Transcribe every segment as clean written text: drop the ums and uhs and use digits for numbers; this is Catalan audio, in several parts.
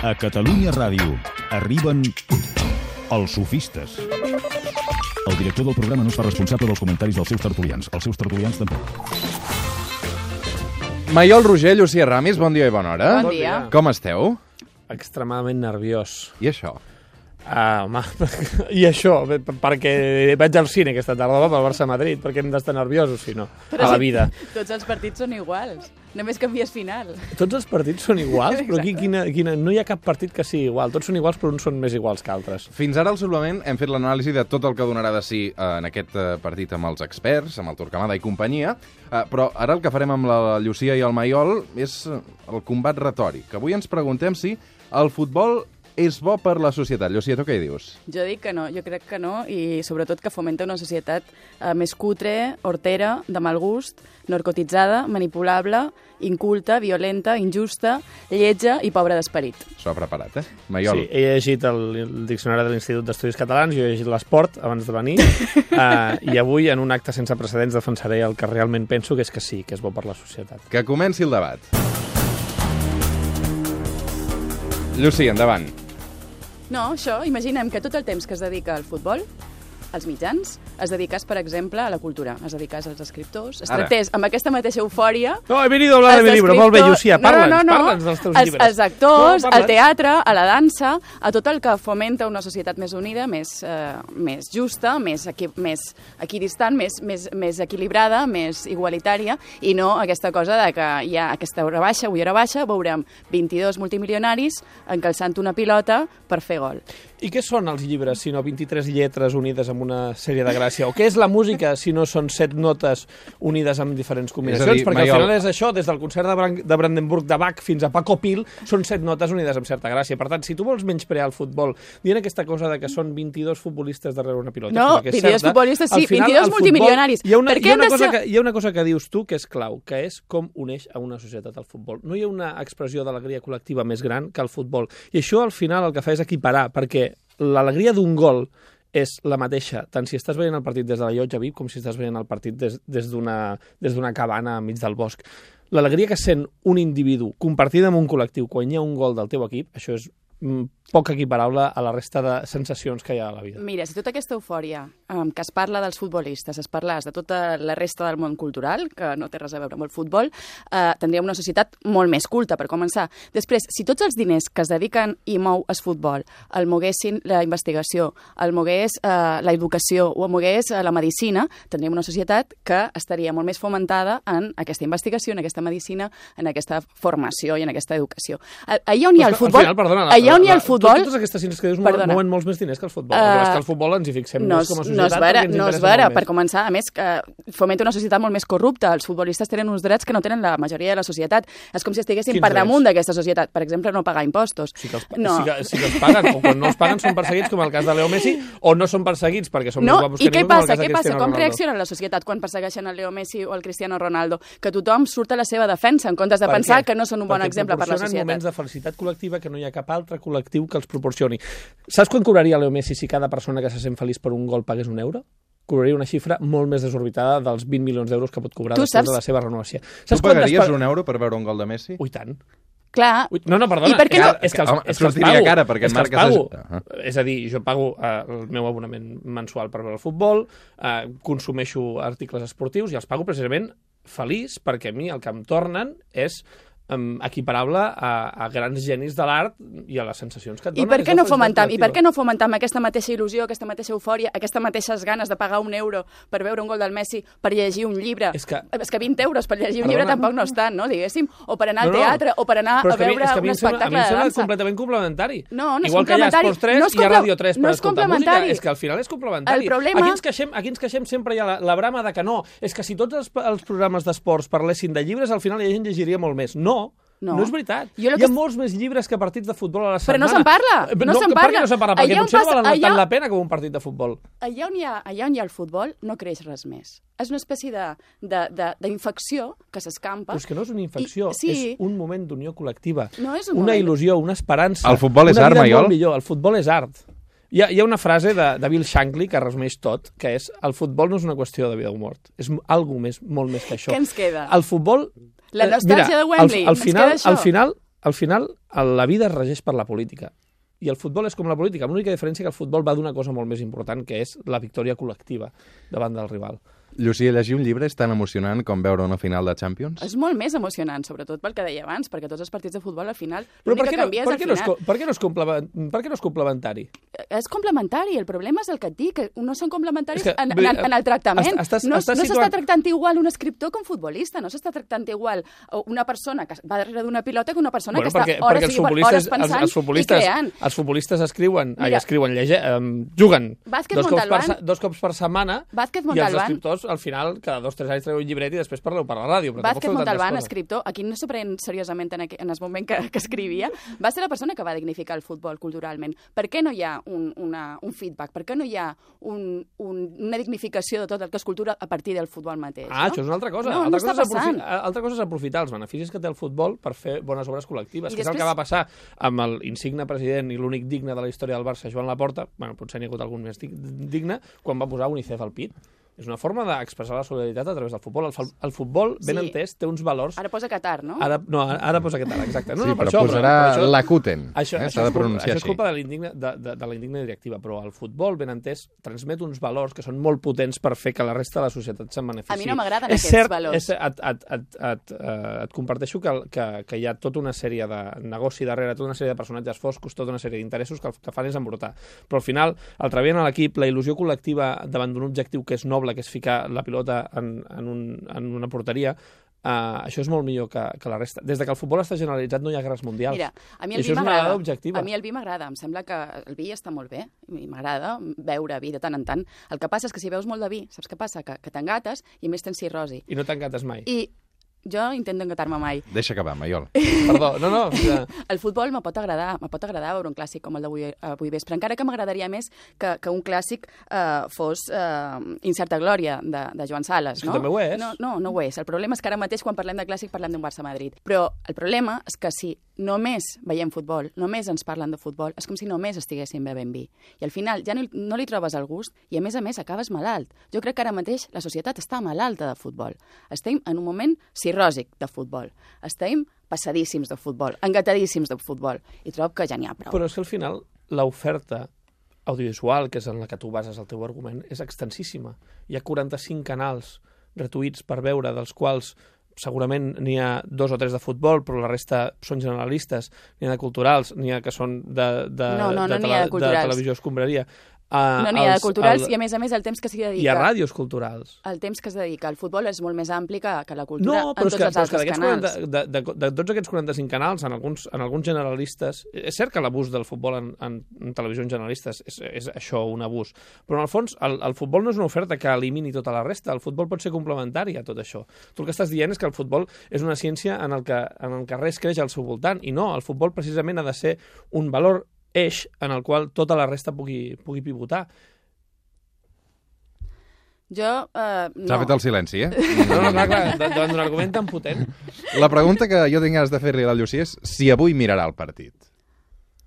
A Catalunya Ràdio arriben els sofistes. El director del programa no es fa responsable dels comentaris dels seus tertulians. Els seus tertulians tampoc. Maiol Roger, Llucia Ramis, bon dia i bona hora. Bon dia. Com esteu? Extremadament nerviós. I això? Home, i això, perquè vaig al cine aquesta tarda pel Barça-Madrid, perquè hem d'estar nerviosos, si no, a la vida. Tots els partits són iguals, només canvies final. Tots els partits són iguals, però aquí no hi ha cap partit que sigui igual. Tots són iguals, però uns són més iguals que altres. Fins ara, al suplement, hem fet l'anàlisi de tot el que donarà de si en aquest partit amb els experts, amb el Torquemada i companyia, però ara el que farem amb la Llucia i el Maiol és el combat retòric. Avui ens preguntem si el futbol és bo per la societat. Llucia, tu què hi dius? Jo dic que no, jo crec que no, i sobretot que fomenta una societat més cutre, hortera, de mal gust, narcotitzada, manipulable, inculta, violenta, injusta, lletja i pobra d'esperit. S'ho ha preparat, Maiol? Sí, he llegit el diccionari de l'Institut d'Estudis Catalans, jo he llegit l'esport abans de venir, i avui, en un acte sense precedents, defensaré el que realment penso, que és que sí, que és bo per la societat. Que comenci el debat. Llucia, endavant. No, això, imaginem que tot el temps que es dedica al futbol, als mitjans, es dediqués, per exemple, a la cultura, es dediqués als escriptors, es tractés amb aquesta mateixa eufòria... No, he venido a hablar de mi libro, molt bé, Llucia, parla'ns dels teus llibres. Els actors, al teatre, a la dansa, a tot el que fomenta una societat més unida, més justa, més equidistant, més equilibrada, més igualitària, i no aquesta cosa de que hi ha aquesta hora baixa, avui hora baixa, veurem 22 multimilionaris encalçant una pilota per fer gol. I què són els llibres, si no 23 lletres unides amb una sèrie de gràcia? O què és la música, si no són 7 notes unides amb diferents combinacions? Perquè al final és això, des del concert de Brandenburg de Bach fins a Paco Pil, són 7 notes unides amb certa gràcia. Per tant, si tu vols menysprear el futbol, dient aquesta cosa de que són 22 futbolistes darrere una pilota... No, 22 futbolistes sí, 22 multimilionaris. Hi ha una cosa que dius tu que és clau, que és com uneix a una societat el futbol. No hi ha una expressió d'alegria col·lectiva més gran que el futbol. I això, al final, el que fa és equiparar, perquè l'alegria d'un gol és la mateixa, tant si estàs veient el partit des de la llotja VIP com si estàs veient el partit des d'una cabana enmig del bosc. L'alegria que sent un individu compartida amb un col·lectiu quan hi ha un gol del teu equip, això és poc equiparable a la resta de sensacions que hi ha a la vida. Mira, si tota aquesta eufòria que es parla dels futbolistes es parlés de tota la resta del món cultural, que no té res a veure amb el futbol, tindríem una societat molt més culta, per començar. Després, si tots els diners que es dediquen i mou el futbol el moguessin la investigació, el mogués la educació o el mogués la medicina, tindríem una societat que estaria molt més fomentada en aquesta investigació, en aquesta medicina, en aquesta formació i en aquesta educació. Allà on hi ha el futbol... Allà on hi ha el futbol... Totes aquestes cines que dius mouen molts més diners que el futbol. Perquè és que el futbol ens hi fixem més com a societat. No és vera, per començar. A més, fomenta una societat molt més corrupta. Els futbolistes tenen uns drets que no tenen la majoria de la societat. És com si estiguessin per damunt d'aquesta societat. Per exemple, no pagar impostos. Sí que els paguen, o quan no els paguen són perseguits, com el cas de Leo Messi, o no són perseguits perquè són més guapos que ningú, com el cas de Cristiano Ronaldo. Com reacciona la societat quan persegueixen el Leo Messi o el Cristiano Ronaldo? Que tothom surt a la seva defensa, en comptes de pensar que no són un bon exemple per la societat. Perquè proporcionen moments de felicitat col·lectiva que no hi ha cap altre col·lectiu que els proporcioni. Saps quan cobraria Leo Messi si cada persona que se sent feliç per un gol pagués €1? Cobraria una xifra molt més desorbitada dels 20 milions d'euros que pot cobrar després de la seva renovació. Tu pagaries €1 per veure un gol de Messi? Ui, tant. Clar. No, perdona. I per què no? És que els pago. És a dir, jo pago el meu abonament mensual per veure el futbol, consumeixo articles esportius i els pago precisament feliç perquè a mi el que em tornen és equiparable a grans genis de l'art i a les sensacions que et donen. I per què no fomentam aquesta mateixa il·lusió, aquesta mateixa eufòria, aquestes mateixes ganes de pagar €1 per veure un gol del Messi, per llegir un llibre? És que 20 euros per llegir un llibre tampoc no és tant, no? Diguéssim, o per anar al teatre, o per anar a veure un espectacle de dansa. A mi em sembla completament complementari. No és igual complementari. Igual que hi ha Esports 3 i hi ha Ràdio 3 per escoltar música, és que al final és complementari. Aquí ens queixem sempre hi ha la brama de que no, és que si tots els programes d'esports parlessin de llibres, al final la gent llegiria molt més. No és veritat. Hi ha molts més llibres que partits de futbol a la setmana. Però no se'n parla. Per què no se'n parla? Perquè potser no valen tant la pena com un partit de futbol. Allà on hi ha el futbol no creix res més. És una espècie d'infecció que s'escampa. Però és que no és una infecció, és un moment d'unió col·lectiva. No és un moment. Una il·lusió, una esperança. El futbol és art, Maiol? El futbol és art. Hi ha una frase de Bill Shankly que resumeix tot, que és: el futbol no és una qüestió de vida o mort. És alguna cosa molt més que això. Què ens queda? El futbol... La nostàlgia de Wembley. Al final, al final, la vida es regeix per la política. I el futbol és com la política, amb l'única diferència que el futbol va d'una cosa molt més important, que és la victòria col·lectiva davant del rival. Llucia, llegir un llibre és tan emocionant com veure una final de Champions? És molt més emocionant, sobretot pel que deia abans, perquè tots els partits de futbol, al final, Però l'únic que canvia és al final. Per què no és complementari? És complementari, el problema és el que et dic, que no són complementaris És que, en el tractament. No estàs s'està tractant igual un escriptor que un futbolista, no s'està tractant igual una persona que va darrere d'una pilota que una persona que està hores pensant i creant. Els futbolistes escriuen, juguen dos cops per setmana i els escriptors al final cada 2 o 3 anys treu un llibret i després parleu per la ràdio. Vázquez Montalbán, escriptor, aquí no s'ho pren seriosament en el moment que escrivia, va ser la persona que va dignificar el futbol culturalment. Per què no hi ha un feedback? Per què no hi ha una dignificació de tot el que és cultura a partir del futbol mateix? Això és una altra cosa. No està passant. Altra cosa és aprofitar els beneficis que té el futbol per fer bones obres col·lectives, que és el que va passar amb l'insigne president i l'únic digne de la història del Barça, Joan Laporta, potser n'hi ha hagut algun més digne, quan va posar UNICEF al pit. És una forma d'expressar la solidaritat a través del futbol. El futbol, ben entès, té uns valors... Ara posa Qatar, no? Ara posa Qatar, exacte. Però posarà Lakuten. S'ha de pronunciar així. Això és culpa de la indigna directiva, però el futbol, ben entès, transmet uns valors que són molt potents per fer que la resta de la societat se'n benefici. A mi no m'agraden aquests valors. Et comparteixo que hi ha tota una sèrie de negoci darrere, tota una sèrie de personatges foscos, tota una sèrie d'interessos que el que fan és embrutar. Però al final, el treball en l'equip, la il·lusió col·lectiva davant d'un objectiu que és noble, que és ficar la pilota en una porteria, això és molt millor que la resta. Des que el futbol està generalitzat no hi ha guerres mundials. Mira, a mi el vi m'agrada. A mi el vi m'agrada. Em sembla que el vi està molt bé. M'agrada beure vi de tant en tant. El que passa és que si veus molt de vi, saps què passa? Que t'engates i a més tens cirrosi. I no t'engates mai. Jo intento engatar-me mai. Deixa acabar, Maiol. Perdó, no. El futbol me pot agradar veure un clàssic com el d'avui vespre, encara que m'agradaria més que un clàssic fos Incerta Glòria, de Joan Sales, no? Això també ho és. No ho és. El problema és que ara mateix, quan parlem de clàssic, parlem d'un Barça-Madrid. Però el problema és que si només veiem futbol, només ens parlen de futbol, és com si només estiguéssim bevent vi. I al final ja no li trobes el gust i, a més, acabes malalt. Jo crec que ara mateix la societat està malalta de futbol. Estem en un moment cirròsic de futbol. Estem passadíssims de futbol, engatadíssims de futbol. I trobo que ja n'hi ha prou. Però és que al final l'oferta audiovisual, que és en la que tu bases el teu argument, és extensíssima. Hi ha 45 canals gratuïts per veure, dels quals segurament n'hi ha 2 o 3 de futbol, però la resta són generalistes, n'hi ha de culturals, n'hi ha que són de televisió escombraria. No n'hi ha de culturals i, a més, el temps que s'hi dedica. Hi ha ràdios culturals. El temps que es dedica al futbol és molt més ampli que la cultura en tots els altres canals. De tots aquests 45 canals, en alguns generalistes... És cert que l'abús del futbol en televisions generalistes és això, un abús. Però, en el fons, el futbol no és una oferta que elimini tota la resta. El futbol pot ser complementari a tot això. Tu el que estàs dient és que el futbol és una ciència en el que res creix al seu voltant. I no, el futbol precisament ha de ser un valor eix en el qual tota la resta pugui pivotar. Jo, no. S'ha fet el silenci, eh? No, clar, davant d'un argument tan potent. La pregunta que jo tinc ganes de fer-li a la Llucia és si avui mirarà el partit.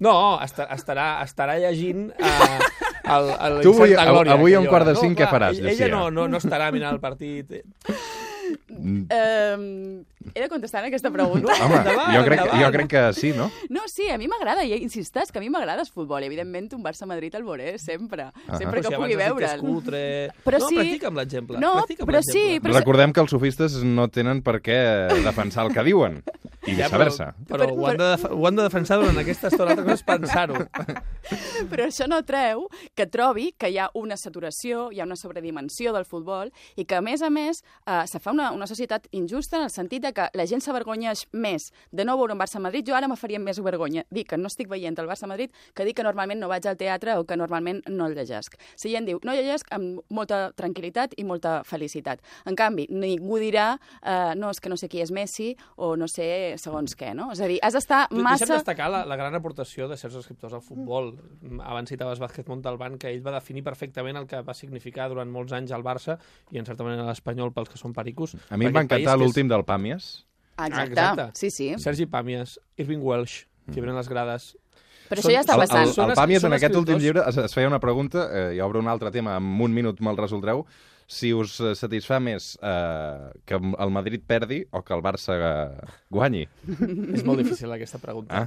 No, estarà llegint tu avui a 4:45 què faràs, Llucia? Ella no estarà mirant el partit. He de contestar aquesta pregunta? Home, jo crec que sí, no? No, sí, a mi m'agrada, i insisteix que a mi m'agrada el futbol. Evidentment, un Barça-Madrid el veuré sempre que pugui veure'l. Practica amb l'exemple. No, però sí. Recordem que els sofistes no tenen per què defensar el que diuen, i viceversa. Però ho han de defensar durant aquesta estona, l'altra cosa és pensar-ho. Però això no treu que trobi que hi ha una saturació, hi ha una sobredimensió del futbol, i que, a més, se fa una societat injusta en el sentit que la gent s'avergonyeix més de no veure un Barça-Madrid. Jo ara me faria més vergonya dir que no estic veient el Barça-Madrid que dir que normalment no vaig al teatre o que normalment no el llegesc. Si gent diu, no llegesc amb molta tranquil·litat i molta felicitat. En canvi, ningú dirà no, és que no sé qui és Messi o no sé segons què, no? És a dir, has d'estar massa... Deixa'm destacar la gran aportació de certs escriptors al futbol. Abans citaves Vázquez Montalbán, que ell va definir perfectament el que va significar durant molts anys al Barça i, en certa manera, l'Espanyol pels que són pericos. A mi em va encantar l'últim del Pàmies. Exacte. Sí. Sergi Pàmies, Irving Welsh, Fiebre en les grades... Però això ja està passant. El Pàmies, en aquest últim llibre, es feia una pregunta, i obre un altre tema, en un minut me'l resoldreu, si us satisfà més que el Madrid perdi o que el Barça guanyi. És molt difícil aquesta pregunta.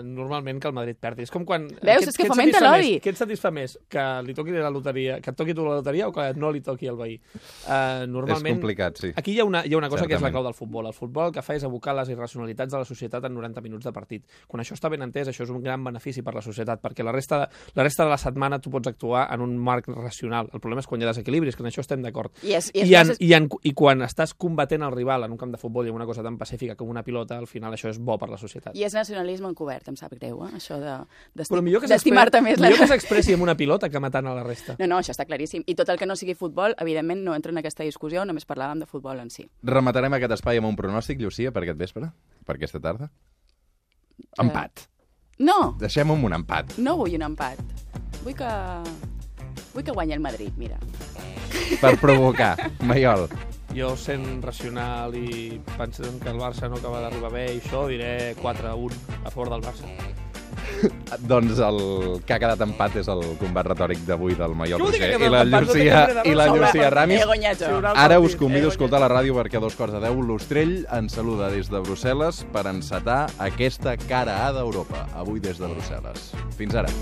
Normalment que el Madrid perdi. És com quan... Veus? És que fomenta l'odi. Què et satisfà més? Que li toqui la loteria, que et toqui tu la loteria o que no li toqui al veí? Normalment... És complicat, sí. Aquí hi ha una cosa que és la Certament. clau del futbol. El futbol el que fa és abocar les irracionalitats de la societat en 90 minuts de partit. Quan això està ben entès, això és un gran benefici per la societat, perquè la resta de la setmana tu pots actuar en un marc racional. El problema és quan hi ha desequilibris, que en això estem d'acord. I quan estàs combatent el rival en un camp de futbol i en una cosa tan pacífica com una pilota, al final això és bo per la societat. I és nacionalisme encobert, em sap greu, això Però millor que d'estimar-te més. Millor que s'expressi amb una pilota que matant a la resta. No, això està claríssim. I tot el que no sigui futbol, evidentment, no entra en aquesta discussió, només parlàvem de futbol en si. Rematarem aquest espai amb un pronòstic, Llucia, per aquest vespre? Per aquesta tarda? Empat. No! Deixem-ho amb un empat. No vull un empat. Vull que guanyi el Madrid, mira. Per provocar. Maiol. Jo, sent racional i pensant que el Barça no acaba d'arribar bé i això, diré 4-1 a favor del Barça. Doncs el que ha quedat empat és el combat retòric d'avui del Maiol Què vol dir que Roger ha quedat i la empat? Llucia Ramis. He guanyat jo. Ara us convido a escoltar la ràdio perquè a 2:15 l'Ostrell ens saluda des de Brussel·les per encetar aquesta cara A d'Europa, avui des de Brussel·les. Fins ara.